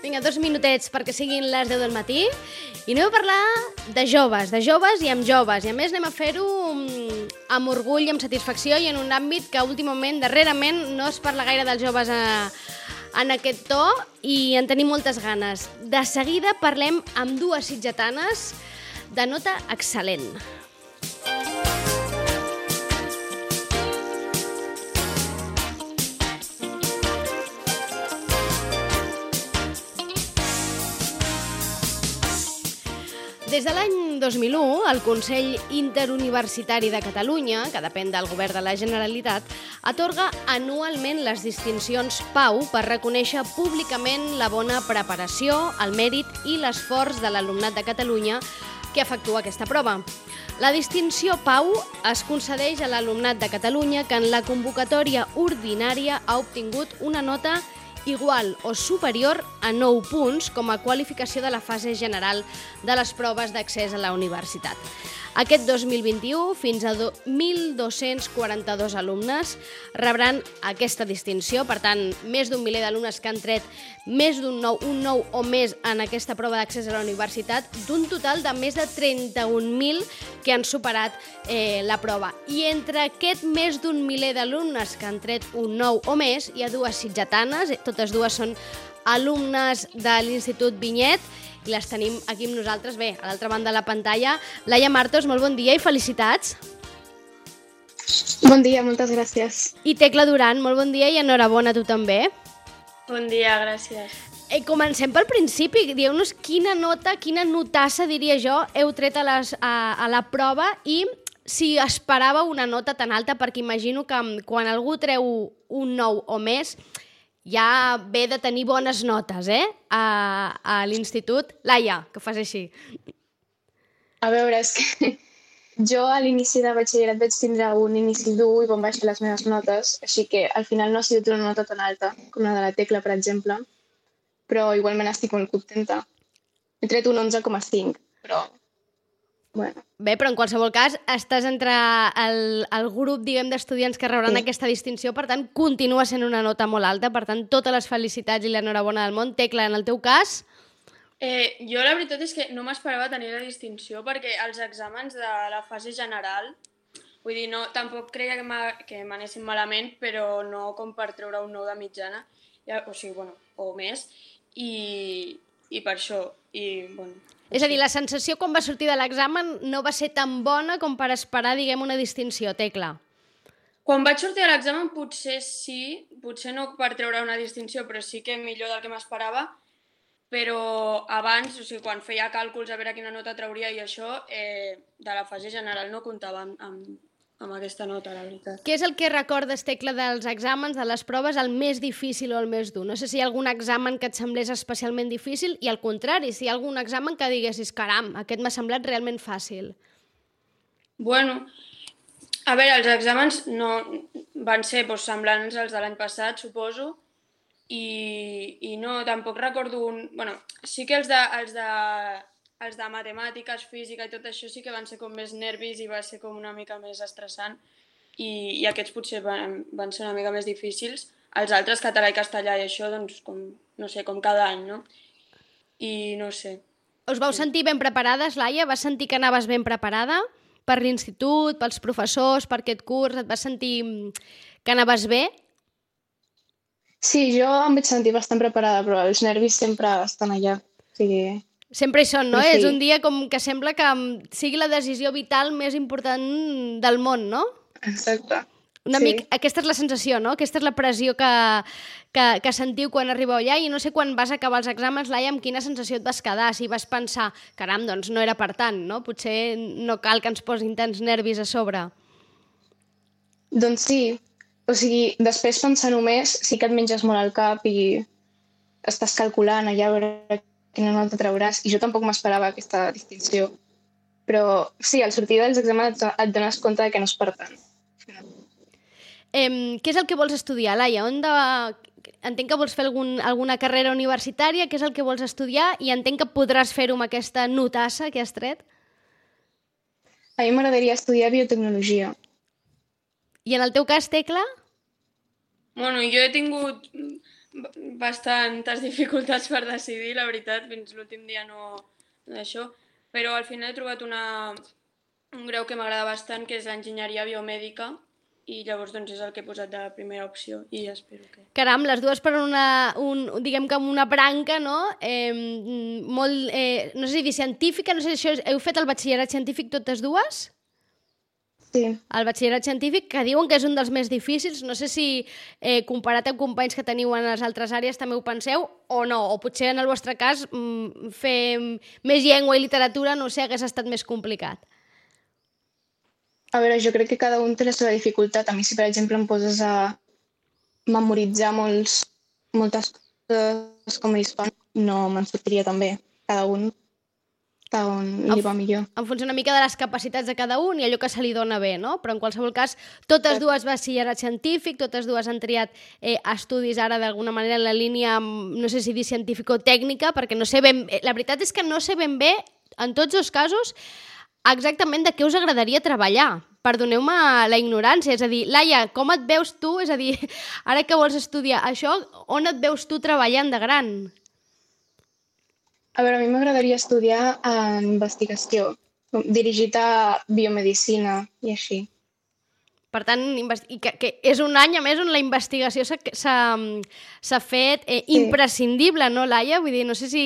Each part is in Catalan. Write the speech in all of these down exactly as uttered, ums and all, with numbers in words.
Vinga, dos minutets perquè siguin les deu del matí i anem a parlar de joves, de joves i amb joves. I a més anem a fer-ho amb orgull i amb satisfacció i en un àmbit que últimament, darrerament, no es parla gaire dels joves a, en aquest to i en tenim moltes ganes. De seguida parlem amb dues sitgetanes de nota excel·lent. Des de l'any dos mil u, el Consell Interuniversitari de Catalunya, que depèn del Govern de la Generalitat, atorga anualment les distincions Pau per reconèixer públicament la bona preparació, el mèrit i l'esforç de l'alumnat de Catalunya que efectua aquesta prova. La distinció Pau es concedeix a l'alumnat de Catalunya que en la convocatòria ordinària ha obtingut una nota igual o superior a nou punts com a qualificació de la fase general de les proves d'accés a la universitat. Aquest dos mil vint-i-u, fins a mil dos-cents quaranta-dos alumnes rebran aquesta distinció. Per tant, més d'un miler d'alumnes que han tret més d'un nou, un nou o més en aquesta prova d'accés a la universitat, d'un total de més de trenta-un mil que han superat eh, la prova. I entre aquest més d'un miler d'alumnes que han tret un nou o més, hi ha dues sitgetanes, totes dues són alumnes de l'Institut Vinyet, i les tenim aquí amb nosaltres. Bé, a l'altra banda de la pantalla, Laia Martos, molt bon dia i felicitats. Bon dia, moltes gràcies. I Tecla Duran, molt bon dia i enhorabona a tu també. Bon dia, gràcies. Eh, comencem pel principi. Dieu-nos quina nota, quina notassa, diria jo, heu tret a, les, a, a la prova i si esperàveu una nota tan alta, perquè imagino que quan algú treu un nou o més, ja ve de tenir bones notes, eh? A, a l'institut. Laia, que fas així. A veure, és que jo a l'inici de batxillerat vaig tindre un inici dur i van baixar les meves notes, així que al final no ha sigut una nota tan alta com la de la Tecla, per exemple, però igualment estic molt contenta. He tret un onze coma cinc, però bueno. Bé, però en qualsevol cas estàs entre el, el grup, diguem, d'estudiants que rebran sí. aquesta distinció, per tant, continua sent una nota molt alta, per tant, totes les felicitats i l'enhorabona del món. Tecla, en el teu cas? Eh, jo la veritat és que no m'esperava tenir la distinció perquè els exàmens de la fase general, vull dir, no, tampoc creia que m'anessin malament, però no com per treure un nou de mitjana, ja, o sigui, bueno, o més, i, i per això, i, bueno... És a dir, la sensació quan va sortir de l'examen no va ser tan bona com per esperar, diguem, una distinció, Tecla. Quan vaig sortir de l'examen potser sí, potser no per treure una distinció, però sí que millor del que m'esperava, però abans, o sigui, quan feia càlculs a veure quina nota trauria i això, eh, de la fase general no comptava amb, amb, amb aquesta nota, la veritat. Què és el que recordes, Tecla, dels exàmens, de les proves, el més difícil o el més dur? No sé si hi ha algun examen que et semblés especialment difícil i al contrari, si hi ha algun examen que diguessis, caram, aquest m'ha semblat realment fàcil. Bueno, a veure, els exàmens no van ser doncs, semblants als de l'any passat, suposo, i, i no, tampoc recordo un... Bueno, sí que els de, els de, els de matemàtiques, física i tot això sí que van ser com més nervis i va ser com una mica més estressant i, i aquests potser van, van ser una mica més difícils. Els altres, català i castellà i això, doncs, com, no sé, com cada any, no? I no sé. Us vau sentir ben preparades, Laia? Vas sentir que anaves ben preparada per l'institut, pels professors, per aquest curs? Et vas sentir que anaves bé? Sí, jo em vaig sentir bastant preparada, però els nervis sempre estan allà. O sigui... Sempre hi són, no? Sí. És un dia com que sembla que sigui la decisió vital més important del món, no? Exacte. Una sí. mica, aquesta és la sensació, no? Aquesta és la pressió que, que, que sentiu quan arribeu allà i no sé quan vas acabar els exàmens, Laia, amb quina sensació et vas quedar, si vas pensar, caram, doncs no era per tant, no? Potser no cal que ens posin tants nervis a sobre. Doncs sí, O sigui, després pensar-ho més, sí que et menges molt al cap i estàs calculant allà a veure quina nota trauràs. I jo tampoc m'esperava aquesta distinció. Però sí, al sortir dels exàmens et, et dones compte de que no és per tant. Eh, què és el que vols estudiar, Laia? On de... Entenc que vols fer algun, alguna carrera universitària, què és el que vols estudiar i entenc que podràs fer-ho amb aquesta notassa que has tret. A mi m'agradaria estudiar biotecnologia. I en el teu cas, Tecla? Bueno, jo he tingut bastantes dificultats per decidir, la veritat, fins l'últim dia no d'això, però al final he trobat una, un grau que m'agrada bastant, que és l'enginyeria biomèdica, i llavors doncs és el que he posat de primera opció i espero que... Caram, les dues per una, un, diguem que una branca, no? Eh, molt, eh, no sé si dir científica, no sé si això, heu fet el batxillerat científic totes dues? Sí. El batxillerat científic, que diuen que és un dels més difícils, no sé si eh, comparat amb companys que teniu en les altres àrees també ho penseu o no, o potser en el vostre cas mm, fer més llengua i literatura, no sé, hagués estat més complicat. A veure, jo crec que cada un té la seva dificultat. A mi, si per exemple em poses a memoritzar molts, moltes coses com a hispà, no me'n sortiria tan bé. Cada un, cada un li va millor. En funció una mica de les capacitats de cada un i allò que se li dona bé, no? Però en qualsevol cas, totes dues batxillerat científic, totes dues han triat eh, estudis ara d'alguna manera en la línia, no sé si dir científico-tècnica, perquè no sé ben... La veritat és que no sé ben bé, en tots els casos, exactament de què us agradaria treballar. Perdoneu-me la ignorància, és a dir, Laia, com et veus tu? És a dir, ara que vols estudiar això, on et veus tu treballant de gran? A veure, a mi m'agradaria estudiar en investigació, dirigit a biomedicina i així. Per tant, i que, que és un any, a més, on la investigació s'ha fet eh, Sí. imprescindible, no, Laia? Vull dir, no sé si,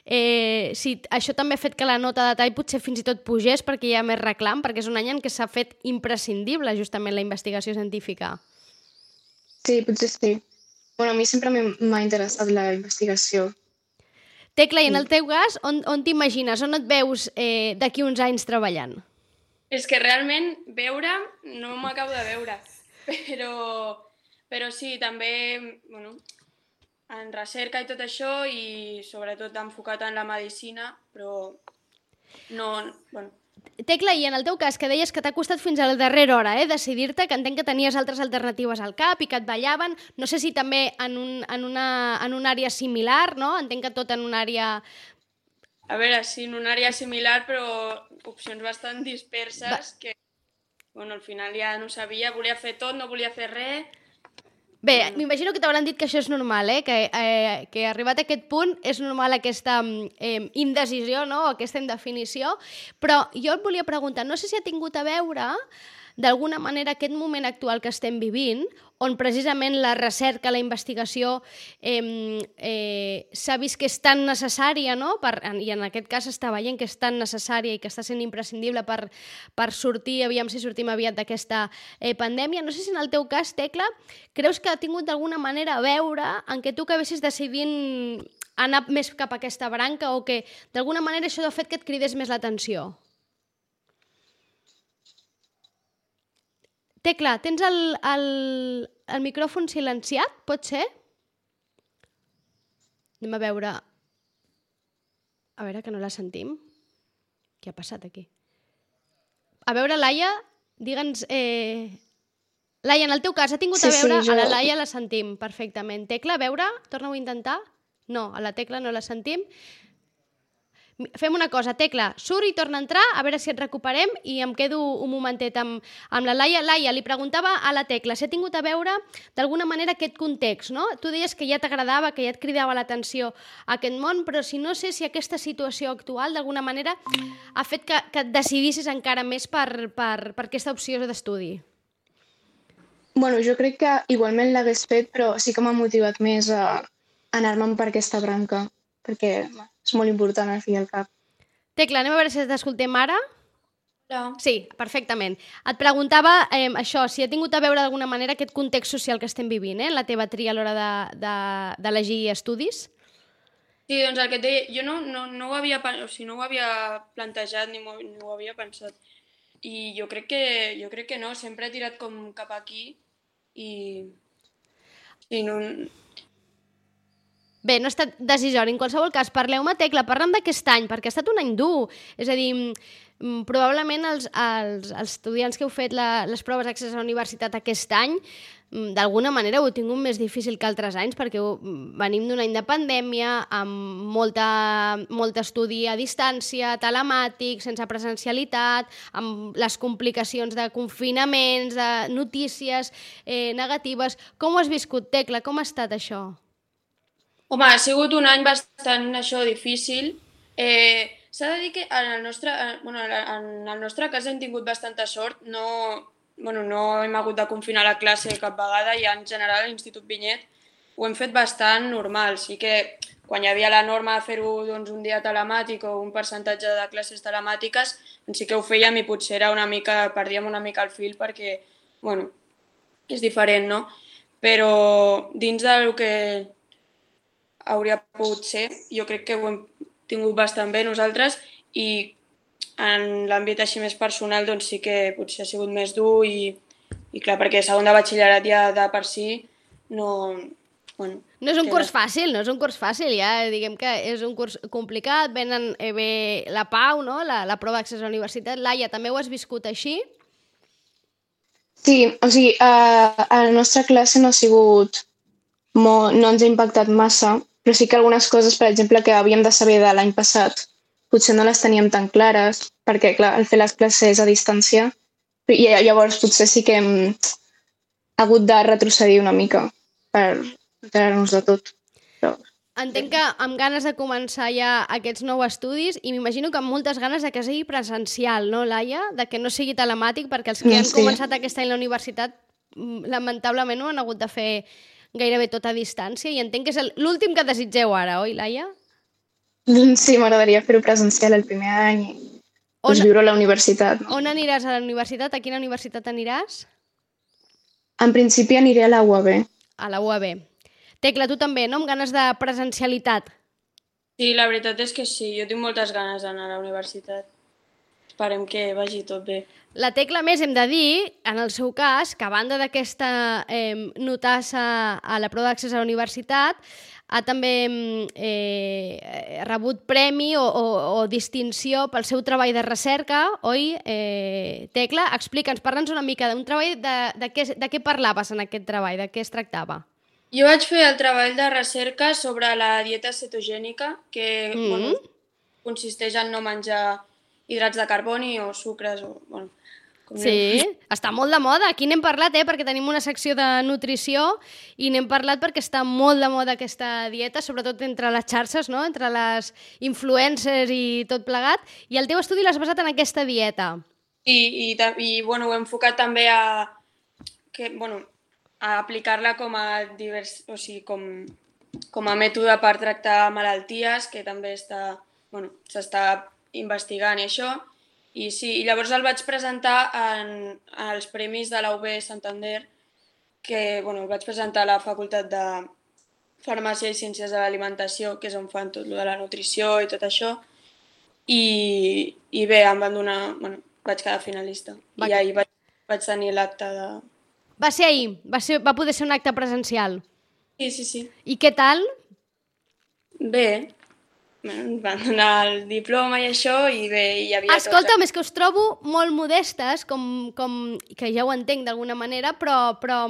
eh, si això també ha fet que la nota de tall potser fins i tot pugés perquè hi ha més reclam, perquè és un any en què s'ha fet imprescindible justament la investigació científica. Sí, potser sí. Bueno, a mi sempre m'ha interessat la investigació. Tecla, i en el teu cas, on, on t'imagines? On et veus eh, d'aquí uns anys treballant? És que realment veure no m'acabo de veure, però, però sí, també bueno, en recerca i tot això i sobretot enfocat en la medicina, però no... Bueno. Tecla, i en el teu cas, que deies que t'ha costat fins a la darrera hora eh, decidir-te, que entenc que tenies altres alternatives al cap i que et ballaven, no sé si també en, un, en, una, en una àrea similar, no? Entenc que tot en una àrea... A veure, sí, en una àrea similar, però opcions bastant disperses Va. que, bueno, al final ja no sabia, volia fer tot, no volia fer res. Bé, bueno. M'imagino que t'hauran dit que això és normal, eh? Que, eh, que arribat a aquest punt és normal aquesta eh, indecisió, no? Aquesta indefinició, però jo et volia preguntar, no sé si ha tingut a veure d'alguna manera aquest moment actual que estem vivint, on precisament la recerca, la investigació eh, eh, s'ha vist que és tan necessària, no? Per, i en aquest cas està veient que és tan necessària i que està sent imprescindible per, per sortir, aviam si sortim aviat d'aquesta eh, pandèmia. No sé si en el teu cas, Tecla, creus que ha tingut d'alguna manera a veure en què tu acabessis decidint anar més cap a aquesta branca o que d'alguna manera això ha fet que et cridés més l'atenció? Tecla, tens el, el, el micròfon silenciat, pot ser? Anem a veure... A veure, que no la sentim. Què ha passat aquí? A veure, Laia, digue'ns... Eh... Laia, en el teu cas, ha tingut sí, a veure... Sí, jo... A la Laia la sentim perfectament. Tecla, a veure, torna-ho a intentar. No, a la Tecla no la sentim. Fem una cosa, Tecla, surt i torna a entrar, a veure si et recuperem i em quedo un momentet amb, amb la Laia. Laia, li preguntava a la Tecla si ha tingut a veure d'alguna manera aquest context, no? Tu deies que ja t'agradava, que ja et cridava l'atenció aquest món, però si no sé si aquesta situació actual d'alguna manera ha fet que, que et decidissis encara més per, per, per aquesta opció d'estudi. Bueno, jo crec que igualment l'hagués fet, però sí que m'ha motivat més a anar-me'n per aquesta branca, perquè és molt important al fi i al cap. Tecla, anem a veure si t'escoltem ara. Hola. Sí, perfectament. Et preguntava eh, això, si ha tingut a veure d'alguna manera aquest context social que estem vivint, eh, la teva tria a l'hora d'elegir de, de, estudis? Sí, doncs el que et deia, jo no, no, no, ho havia, o sigui, no ho havia plantejat ni, ni ho havia pensat. I jo crec, que, jo crec que no, sempre he tirat com cap aquí i, i no... Bé, no ha estat decisori. En qualsevol cas, parleu-me, Tecla, parlem d'aquest any, perquè ha estat un any dur. És a dir, mm, probablement els, els, els estudiants que heu fet la, les proves d'accés a la universitat aquest any, mm, d'alguna manera ho heu tingut més difícil que altres anys, perquè ho, venim d'un any de pandèmia, amb molta, molt estudi a distància, telemàtic, sense presencialitat, amb les complicacions de confinaments, de notícies eh, negatives. Com ho has viscut, Tecla? Com ha estat això? Home, ha sigut un any bastant això difícil. Eh, S'ha de dir que en el nostre, bueno, en el nostre cas hem tingut bastanta sort. No, bueno, no hem hagut de confinar la classe cap vegada i en general a l'Institut Vinyet ho hem fet bastant normal. Sí que quan hi havia la norma de fer-ho doncs, un dia telemàtic o un percentatge de classes telemàtiques, doncs sí que ho fèiem i potser era una mica, perdíem una mica el fil perquè, bueno, és diferent, no? Però dins del que hauria pogut ser, jo crec que ho hem tingut bastant bé nosaltres i en l'àmbit així més personal doncs sí que potser ha sigut més dur i, i clar, perquè segon de batxillerat ja de per si no... Bueno, no és un queda... curs fàcil, no és un curs fàcil, ja diguem que és un curs complicat, venen eh, bé la Pau, no? la, la prova d'accés a la universitat. Laia, també ho has viscut així? Sí, o sigui, a, a la nostra classe no ha sigut... Molt, no ens ha impactat massa, però sí que algunes coses, per exemple, que havíem de saber de l'any passat, potser no les teníem tan clares, perquè, clar, al fer les classes a distància, i llavors potser sí que hem hagut de retrocedir una mica per enterar-nos de tot. Però... Entenc que amb ganes de començar ja aquests nous estudis i m'imagino que amb moltes ganes de que sigui presencial, no, Laia? De que no sigui telemàtic, perquè els que han sí. començat aquest any la universitat lamentablement ho han hagut de fer gairebé tot a distància i entenc que és l'últim que desitgeu ara, oi, Laia? Sí, m'agradaria fer-ho presencial el primer any i doncs, viure a la universitat. No? On aniràs a la universitat? A quina universitat aniràs? En principi aniré a la U A B. A la U A B. Tecla, tu també, no? Amb ganes de presencialitat. Sí, la veritat és que sí, jo tinc moltes ganes d'anar a la universitat. Esperem que vagi tot bé. La Tecla, més, hem de dir, en el seu cas, que a banda d'aquesta eh, notassa a la prova d'accés a la universitat, ha també eh, rebut premi o, o, o distinció pel seu treball de recerca, oi, eh, Tecla? Explica'ns, parla'ns una mica d'un treball, de, de, què, de què parlaves en aquest treball, de què es tractava? Jo vaig fer el treball de recerca sobre la dieta cetogènica, que mm. bueno, consisteix en no menjar hidrats de carboni o sucres o... Bueno, sí, està molt de moda. Aquí n'hem parlat, eh, perquè tenim una secció de nutrició i n'hem parlat perquè està molt de moda aquesta dieta, sobretot entre les xarxes, no? Entre les influencers i tot plegat. I el teu estudi l'has basat en aquesta dieta. Sí, i, i bueno, ho he enfocat també a, que, bueno, a aplicar-la com a, divers, o sigui, com, com a mètode per tractar malalties, que també està, bueno, s'està investigant i això. I sí, i llavors el vaig presentar en, en els premis de la U B Santander, que bueno, el vaig presentar a la Facultat de Farmàcia i Ciències de l'Alimentació, que és on fan tot lo de la nutrició i tot això. I, i bé, em van donar... Bueno, vaig quedar finalista. Va. I ahir vaig, vaig tenir l'acte de... Va ser ahir? Va, ser, va poder ser un acte presencial? Sí, sí, sí. I què tal? Bé. Em van donar el diploma i això, i bé, hi havia... Escolta'm, és que us trobo molt modestes, com, com que ja ho entenc d'alguna manera, però, però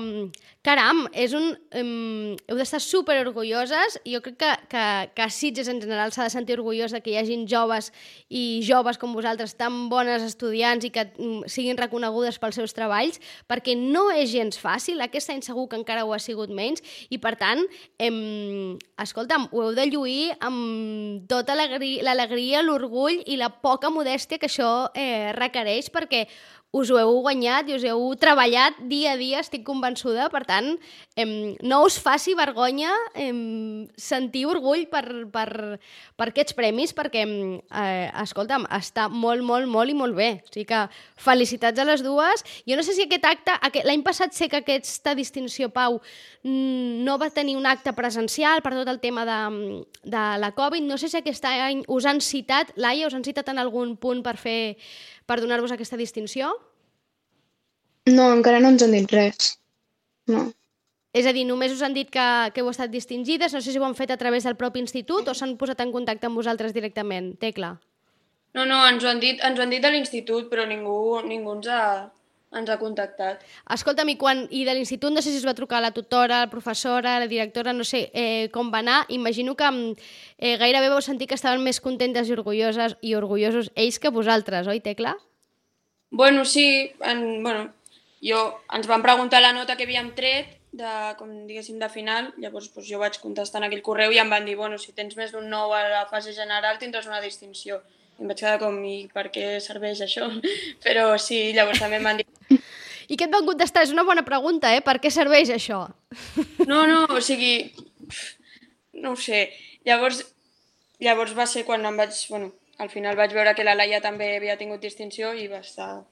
caram, és un, um, heu d'estar superorgulloses, i jo crec que, que, que Sitges en general s'ha de sentir orgullosa que hi hagin joves i joves com vosaltres tan bones estudiants i que um, siguin reconegudes pels seus treballs, perquè no és gens fàcil, aquest any segur que encara ho ha sigut menys, i per tant, em, escolta'm, ho heu de lluir amb tota l'alegria, l'orgull i la poca modèstia que això eh, requereix, perquè us ho heu guanyat i us heu treballat dia a dia, estic convençuda. Per tant, eh, no us faci vergonya eh, sentir orgull per, per, per aquests premis, perquè, eh, escolta'm, està molt, molt, molt i molt bé. O sigui que felicitats a les dues. Jo no sé si aquest acte... Aquest, l'any passat sé que aquesta distinció, Pau, no va tenir un acte presencial per tot el tema de, de la Covid. No sé si aquest any us han citat, Laia, us han citat en algun punt per fer... per donar-vos aquesta distinció? No, encara no ens han dit res. no. És a dir, només us han dit que, que heu estat distingides, no sé si ho han fet a través del propi institut o s'han posat en contacte amb vosaltres directament. Tecla. No, no, ens ho han dit, ens ho han dit de l'institut, però ningú, ningú ens ha, ens ha contactat. Escolta'm, i, quan, i de l'institut no sé si us va trucar la tutora, la professora, la directora, no sé eh, com va anar. Imagino que eh, gairebé vau sentir que estaven més contentes i orgulloses i orgullosos ells que vosaltres, oi, Tecla? Bueno, sí, en, bueno, jo, ens van preguntar la nota que havíem tret, de, com diguéssim, de final, llavors doncs, jo vaig contestar en aquell correu i em van dir, bueno, si tens més d'un nou a la fase general tindràs una distinció. I em vaig quedar com, i per què serveix això? Però sí, llavors també em van dir... I què et van contestar? És una bona pregunta, eh? Per què serveix això? No, no, o sigui, no ho sé. Llavors, llavors va ser quan em vaig, bueno, al final vaig veure que la Laia també havia tingut distinció i va estar,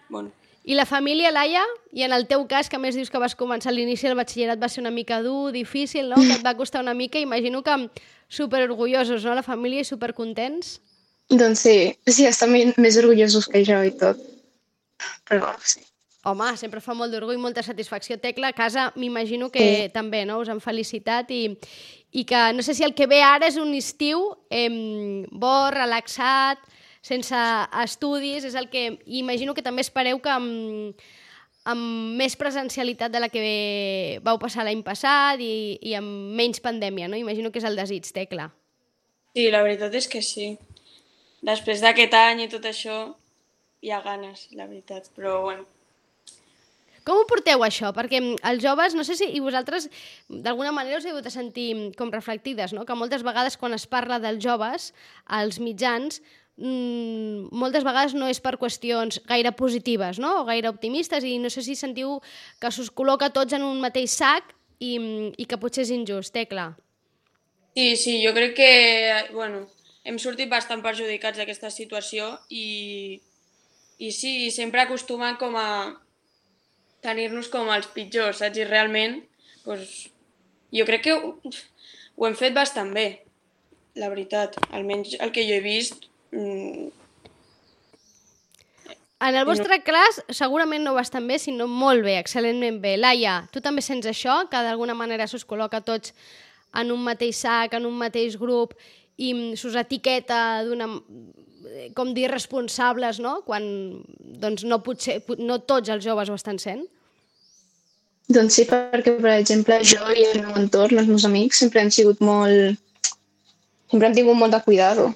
bueno... I la família, Laia? I en el teu cas, que a més dius que vas començar a l'inici del batxillerat, va ser una mica dur, difícil, no? Que et va costar una mica, imagino que superorgullosos, no? La família i supercontents. Doncs sí, sí, estan més orgullosos que jo i tot. Però sí. Home, sempre fa molt d'orgull, molta satisfacció. Tecla, a casa m'imagino que sí. També, no? Us han felicitat i, i que no sé si el que ve ara és un estiu eh, bo, relaxat, sense estudis, és el que imagino que també espereu que amb, amb més presencialitat de la que vau passar l'any passat i, i amb menys pandèmia, no? Imagino que és el desig, Tecla. Sí, la veritat és que sí. Després d'aquest any i tot això, hi ha ganes, la veritat, però bueno. Com ho porteu, això? Perquè els joves, no sé si i vosaltres d'alguna manera us heu de sentir com reflectides, no? Que moltes vegades quan es parla dels joves, als mitjans, mmm, moltes vegades no és per qüestions gaire positives, no? O gaire optimistes, i no sé si sentiu que s'us col·loca tots en un mateix sac i, i que potser és injust. Tecla. Sí, sí, jo crec que, bueno, hem sortit bastant perjudicats d'aquesta situació i, i sí, sempre acostumen com a tenir-nos com els pitjors, saps? I realment, doncs, jo crec que ho, ho hem fet bastant bé, la veritat. Almenys el que jo he vist... Mmm... En el vostre no... cas, segurament no bastant bé, sinó molt bé, excel·lentment bé. Laia, tu també sents això, que d'alguna manera s'us col·loca tots en un mateix sac, en un mateix grup, i s'us etiqueta d'una... com dir responsables, no? Quan doncs, no, potser, no tots els joves ho estan sent? Doncs sí, perquè, per exemple, jo i el meu entorn, els meus amics, sempre han sigut molt... sempre hem tingut molt de cuidado.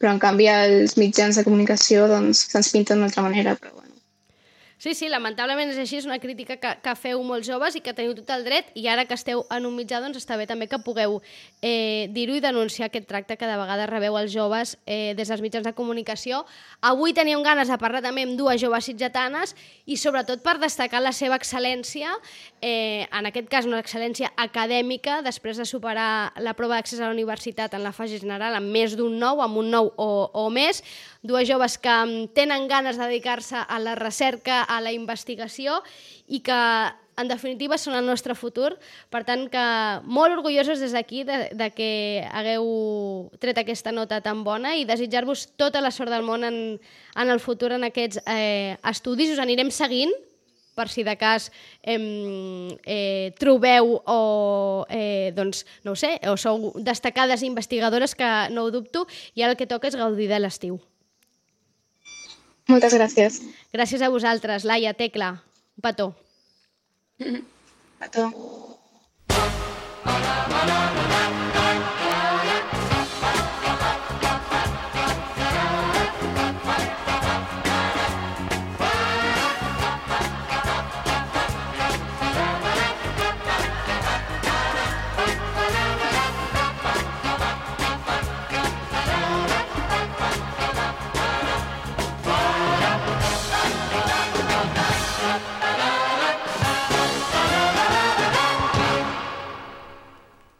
Però, en canvi, els mitjans de comunicació doncs, se'ns pinten d'una altra manera, però bueno. Sí, sí, lamentablement és així, és una crítica que, que feu molts joves i que teniu tot el dret, i ara que esteu en un mitjà doncs està bé també que pugueu eh, dir-ho i denunciar aquest tracte que de vegades rebeu els joves eh, des dels mitjans de comunicació. Avui teníem ganes de parlar també amb dues joves sitgetanes i sobretot per destacar la seva excel·lència, eh, en aquest cas una excel·lència acadèmica, després de superar la prova d'accés a la universitat en la fase general amb més d'un nou, amb un nou o, o més, dues joves que tenen ganes de dedicar-se a la recerca, a la investigació i que, en definitiva, són el nostre futur. Per tant, que molt orgullosos des d'aquí de, de que hagueu tret aquesta nota tan bona i desitjar-vos tota la sort del món en, en el futur en aquests eh, estudis. Us anirem seguint per si de cas eh, eh, trobeu o, eh, doncs, no ho sé, o sou destacades investigadores, que no ho dubto, i ara el que toca és gaudir de l'estiu. Moltes gràcies. Gràcies a vosaltres, Laia, Tecla. Un petó. Petó.